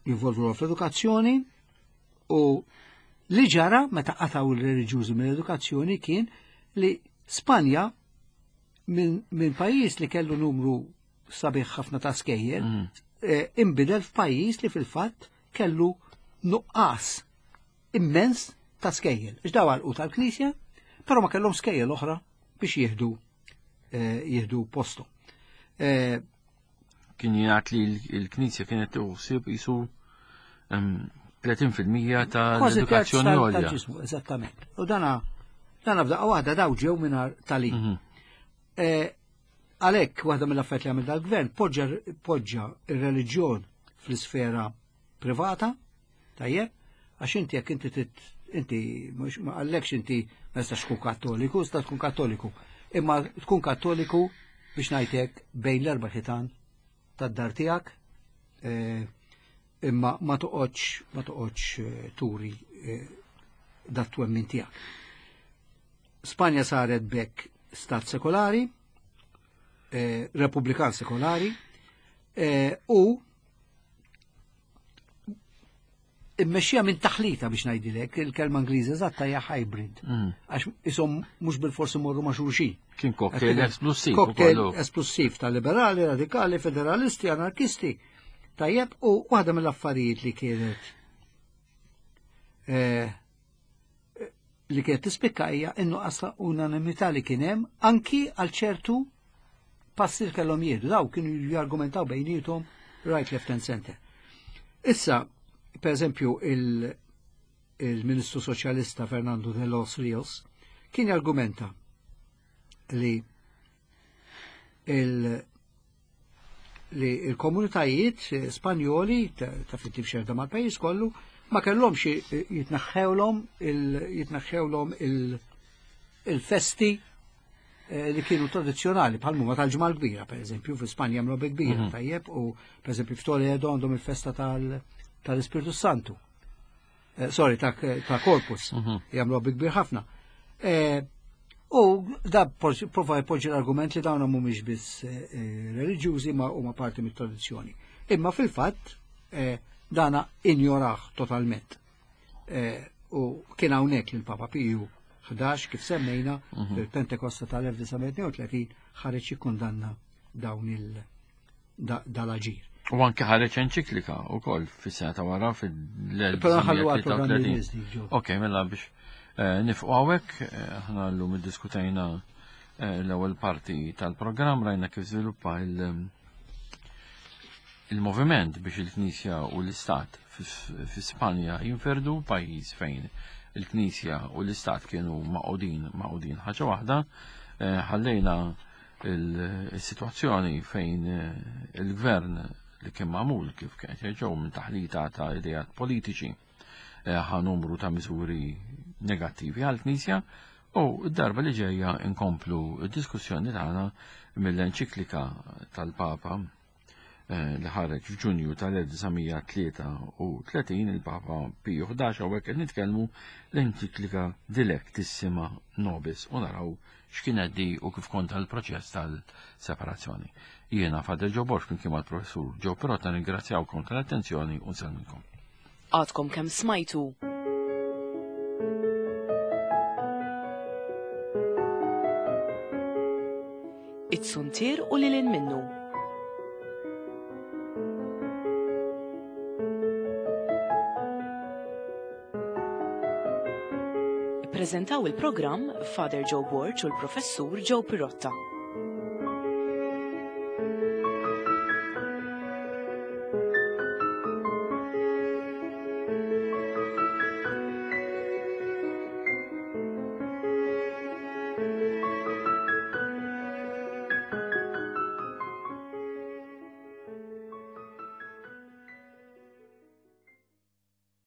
jinvolvu fl-edukazzjoni u li ġara meta qatgħu l-reliġjużi mill-edukazzjoni kien li Spanja minn min pajjiż li kellu numru sabiħ ħafna ta' skejjel mm. eh, inbidel f'pajjiż li fil-fatt kellu nuqqas immens ta' skejjel. Ix daw għalqu tal-Knisja, però ma kellhom skejjel oħra biex jieħdu eh, jieħdu posthom. Eh, kien jingħad li l-Knisja kienet tuħsib jisu tletin fil-mija tal-edukazzjoni għolja. Eżattament. U dana dana f'daqqa waħda daw ġew mingħajr tagħlim. Għalhekk waħda mill-affarijiet li għamel dal-gvern poġġa ir-reliġjon fl-isfera privata, tajjeb, għax inti jekk inti inti mhux ma qallekx inti ma tistax tkun kattoliku, tista' tkun kattoliku. Imma tkun kattoliku biex ngħidlek bejn l-erba' ħitan tad-dar tiegħek, imma ma toqgħodx ma toqgħodx turi dat twemmin tiegħek. Spanja saret bekk stat sekolari, eh, repubblikan sekolari, eh, u immexxija minn taħlita biex ngħidilek, il-kelma Ingliża eżatta hija hybrid. Għax ishom mhux bil-forsi morru ma' xulxin. Kien cocktail esplussiv. Cocktail esplussiv ta' liberali, radikali, federalisti, anarkisti. Tajjeb, u waħda mill-affarijiet li kienet eh, li kienet tispikka hija in-nuqqas ta' unanimità li kien hemm anki għal ċertu passi li kellhom jieħdu. Daw kienu jargumentaw bejniethom right, left and center. Issa, per eżempju, il-Ministru Soċjalista Fernando de los Rios kien jargumenta li il li il-komunitajiet Spanjoli ta' fit xerda mal-pajjiż kollu ma kellhomx jitnaħħewlhom jitnaħħewlhom il-festi li kienu tradizzjonali bħal huma tal-Ġimgħa l-Kbira, pereżempju, fi Spanja hemm logħba kbira, tajjeb, u pereżempju f'Toledo għandhom il-festa tal-Ispirtu Santu. Sorry, ta' Corpus, jagħmlu logħba kbir ħafna. U da prova jpoġġi l-argument li dawn mhumiex biss reliġjużi ma huma parti mit-tradizzjoni. Imma fil-fatt dana injoraħ totalment. U kien hawnhekk li l-Papa Piju ħdax kif semmejna fil-Pentekosta tal-elf disa' mija tnejn u tletin ħareġ jikkundanna dawn il dal-aġir. U anke ħareġ enċiklika wkoll fis-sena ta' wara fil-elf Però ħallu għall-programm li jmiss dik, Ġo. Ok, mela biex nifqu hawnhekk, aħna llum iddiskutejna l-ewwel parti tal-programm, rajna kif żviluppa il-moviment biex il-Knisja u l-Istat fi Spanja jinferdu, pajjiż fejn il-Knisja u l-Istat kienu maqudin maqudin ħaġa waħda. Ħallejna il-sitwazzjoni fejn il-gvern li kien magħmul kif kien ġew minn taħlita ta' ideat politiċi ħa numru ta' miżuri negattivi għall-Knisja, u d-darba li ġejja nkomplu d-diskussjoni tagħna mill-enċiklika tal-Papa li ħareġ f'Ġunju tal-elf disa' mija tlieta u tletin, il-Papa Piju ħdax, hawnhekk qed nitkellmu l-enċiklika Dilectissima Nobis, u naraw x'kienet di u kif konta l-proċess tal-separazzjoni. Jiena Father Joe Borg flimkien mal-Professur Joe Pirotta ningrazzjawkom tal-attenzjoni u nsellmilkom. Għadkom kemm smajtu It-Suntier u lil hinn minnu. Ippreżentaw il-programm Father Joe Borg u l-Professur Joe Pirotta.